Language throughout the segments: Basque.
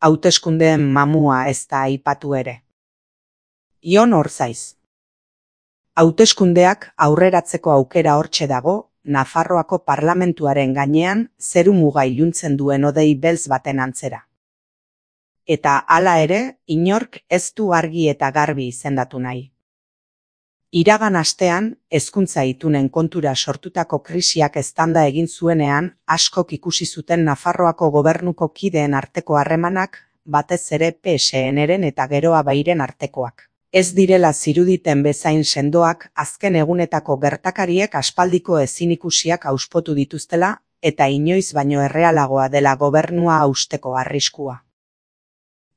Hauteskundeen mamua ez da aipatu ere. Ion Orzaiz. Hauteskundeak aurreratzeko aukera hortxe dago, Nafarroako parlamentuaren gainean zeru muga iluntzen duen hodei beltz baten antzera. Eta hala ere, inork ez du argi eta garbi izendatu nahi. Iragan astean, hezkuntza itunen kontura sortutako krisiak eztanda egin zuenean, askok ikusi zuten Nafarroako gobernuko kideen arteko harremanak, batez ere PSN-ren eta Geroa Bairen artekoak. Ez direla ziruditen bezain sendoak, azken egunetako gertakariek aspaldiko ezinikusiak auspotu dituztela, eta inoiz baino errealagoa dela gobernua hausteko arriskua.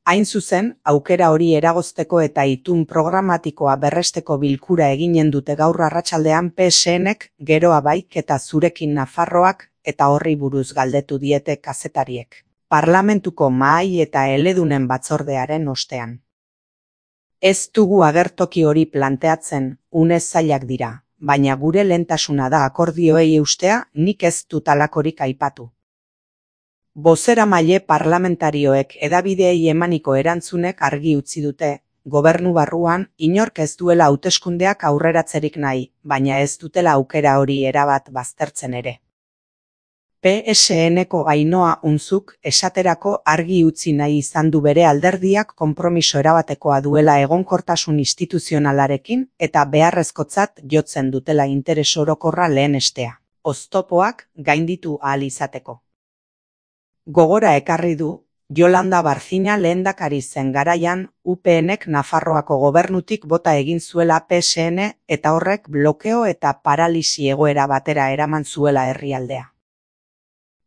Hain zuzen, aukera hori eragozteko eta itun programatikoa berresteko bilkura eginen dute gaur arratsaldean PSN-ek, Geroa Baik eta Zurekin Nafarroak, eta horri buruz galdetu diete kazetariek. Parlamentuko mahai eta eledunen batzordearen ostean. Ez dugu agertoki hori planteatzen, une zailak dira, baina gure lehentasuna da akordioei eustea, nik ez dut halakorik aipatu. Bozeramaile parlamentarioek hedabideei emaniko erantzunek argi utzi dute, gobernu barruan inork ez duela hauteskundeak aurreratzerik nahi, baina ez dutela aukera hori erabat baztertzen ere. PSN-ko Ainhoa Unzuk esaterako argi utzi nahi izan du bere alderdiak konpromiso erabatekoa duela egonkortasun instituzionalarekin eta beharrezkotzat jotzen dutela interes orokorra lehenestea, oztopoak gainditu ahal izateko. Gogora ekarri du, Yolanda Barzina lehendakari zen garaian, UPN-ek Nafarroako gobernutik bota egin zuela PSN eta horrek blokeo eta paralisi egoera batera eraman zuela herrialdea.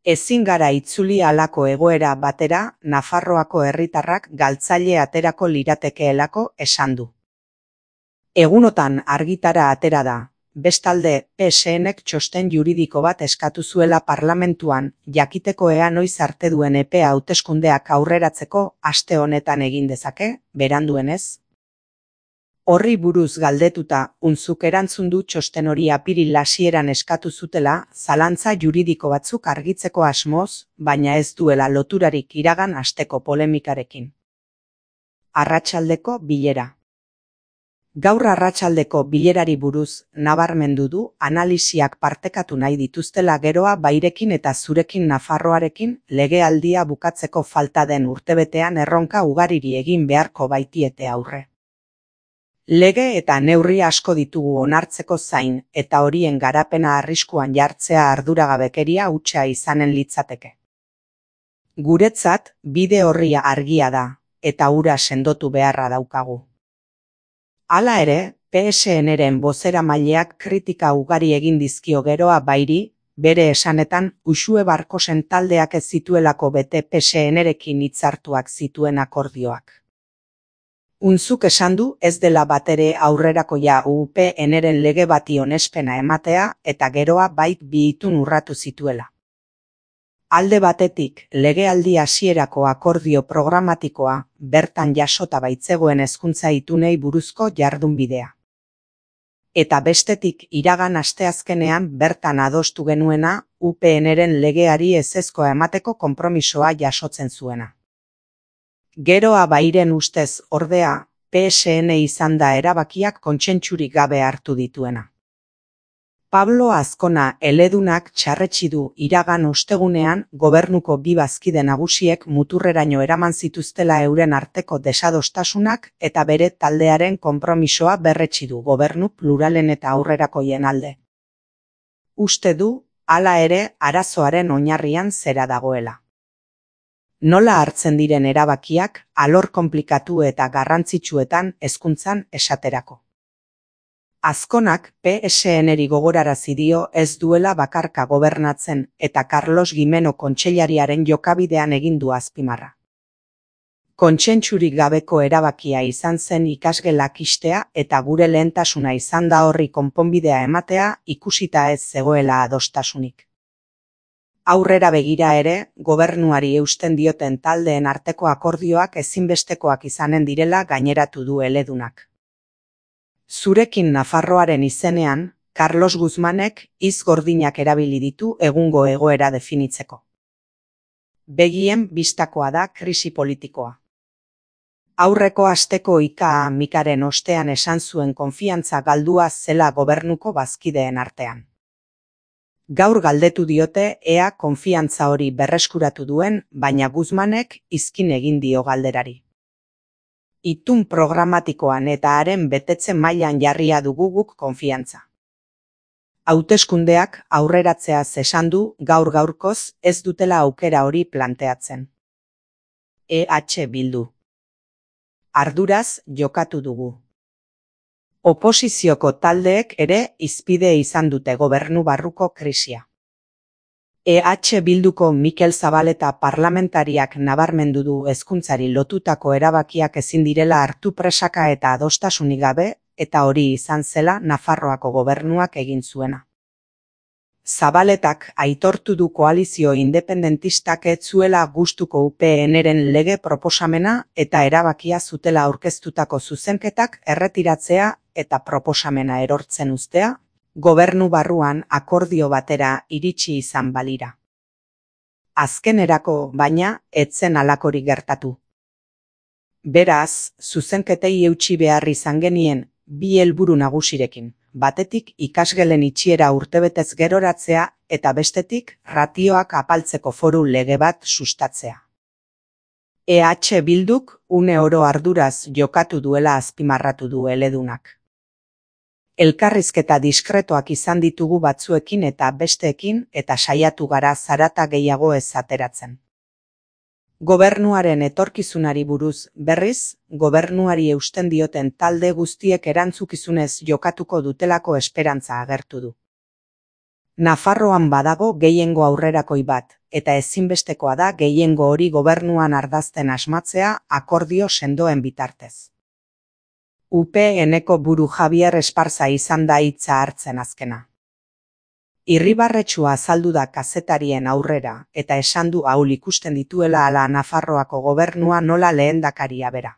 Ezin gara itzuli halako egoera batera, Nafarroako herritarrak galtzaile aterako liratekeelako esan du. Egunotan argitara atera da, bestalde PSN-ek txosten juridiko bat eskatu zuela parlamentuan, jakiteko ea noiz arte duen epea hauteskundeak aurreratzeko aste honetan egin dezake, beranduenez. Horri buruz galdetuta, Unzuk erantzun du txosten hori apiril hasieran eskatu zutela, zalantza juridiko batzuk argitzeko asmoz, baina ez duela loturarik iragan asteko polemikarekin. Arratsaldeko bilera. Gaur arratsaldeko bilerari buruz, nabarmendu du, analisiak partekatu nahi dituztela Geroa Bairekin eta Zurekin Nafarroarekin, legealdia bukatzeko falta den urtebetean erronka ugariri egin beharko baitiete aurre. Lege eta neurri asko ditugu onartzeko zain, eta horien garapena arriskuan jartzea arduragabekeria hutsa izanen litzateke. Guretzat, bide horria argia da, eta hura sendotu beharra daukagu. Hala ere, PSN-ren bozeramaileak kritika ugari egin dizkio Geroa Bairi, bere esanetan, Uxue Barkosen taldeak ez zituelako bete PSN-rekin hitzartuak zituen akordioak. Unzuk esan du ez dela batere aurrerakoia UPN-ren lege bati onespena ematea eta Geroa Baik bi itun urratu zituela. Alde batetik, legealdi hasierako akordio programatikoa, bertan jasota baitzegoen hezkuntza itunei buruzko jardunbidea. Eta bestetik, iragan asteazkenean bertan adostu genuena, UPN-ren legeari ezezkoa emateko konpromisoa jasotzen zuena. Geroa Bairen ustez, ordea, PSN izan da erabakiak kontsentsurik gabe hartu dituena. Pablo Azkona eledunak txarretsi du iragan ostegunean gobernuko bi bazkide nagusiek muturreraino eraman zituztela euren arteko desadostasunak eta bere taldearen konpromisoa berretsi du gobernu pluralen eta aurrerakoien alde. Uste du, hala ere, arazoaren oinarrian zera dagoela. Nola hartzen diren erabakiak, alor konplikatu eta garrantzitsuetan hezkuntzan esaterako. Azkonak PSN-eri gogorarazi dio ez duela bakarka gobernatzen eta Carlos Gimeno kontseilariaren jokabidean egin du azpimarra. Kontsentsurik gabeko erabakia izan zen ikasgelak ixtea eta gure lehentasuna izan da horri konponbidea ematea ikusita ez zegoela adostasunik. Aurrera begira ere, gobernuari eusten dioten taldeen arteko akordioak ezinbestekoak izanen direla gaineratu du eledunak. Zurekin Nafarroaren izenean, Carlos Guzmanek hitz gordinak erabili ditu egungo egoera definitzeko. Begien bistakoa da krisi politikoa. Aurreko asteko ika-mikaren ostean esan zuen konfiantza galdua zela gobernuko bazkideen artean. Gaur galdetu diote ea konfiantza hori berreskuratu duen, baina Guzmanek izkin egin dio galderari. Itun programatikoan eta haren betetze mailan jarria dugu guk konfiantza. Hauteskundeak aurreratzeaz esan du gaur-gaurkoz ez dutela aukera hori planteatzen. Bildu. Arduraz jokatu dugu. Oposizioko taldeek ere hizpide izan dute gobernu barruko krisia. Bilduko Mikel Zabaleta parlamentariak nabarmendu du hezkuntzari lotutako erabakiak ezin direla hartu presaka eta adostasunik gabe, eta hori izan zela Nafarroako gobernuak egin zuena. Zabaletak aitortu du koalizio independentistak ez zuela gustuko UPNren lege proposamena eta erabakia zutela aurkeztutako zuzenketak erretiratzea eta proposamena erortzen uztea, gobernu barruan akordio batera iritsi izan balira. Azkenerako, baina, ez zen halakorik gertatu. Beraz, zuzenketei eutsi behar izan genien bi helburu nagusirekin, batetik ikasgelen itxiera urtebetez geroratzea eta bestetik ratioak apaltzeko foru lege bat sustatzea. Bilduk une oro arduraz jokatu duela azpimarratu du eledunak. Elkarrizketa diskretoak izan ditugu batzuekin eta besteekin eta saiatu gara zarata gehiago ez ateratzen. Gobernuaren etorkizunari buruz, berriz, gobernuari eusten dioten talde guztiek erantzukizunez jokatuko dutelako esperantza agertu du. Nafarroan badago gehiengo aurrerakoi bat, eta ezinbestekoa da gehiengo hori gobernuan ardazten asmatzea akordio sendoen bitartez. UPNeko buru Javier Esparza izan da hitza hartzen azkena. Irribarretsua azaldu da kazetarien aurrera eta esan du ahul ikusten dituela ala Nafarroako gobernua nola lehendakaria bera.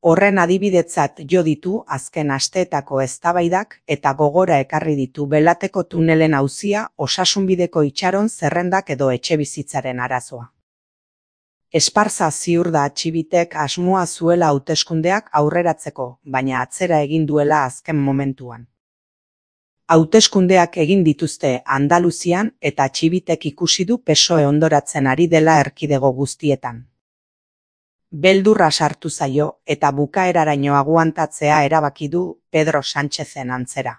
Horren adibidetzat jo ditu azken asteetako eztabaidak eta gogora ekarri ditu Belateko tunelen auzia, osasunbideko itxaron zerrendak edo etxebizitzaren arazoa. Esparza ziur da Txibitek asmoa zuela hauteskundeak aurreratzeko, baina atzera egin duela azken momentuan. Hauteskundeak egin dituzte Andaluzian eta Txibitek ikusi du PSOE ondoratzen ari dela erkidego guztietan. Beldurra sartu zaio eta bukaeraraino aguantatzea erabaki du Pedro Sánchezen antzera.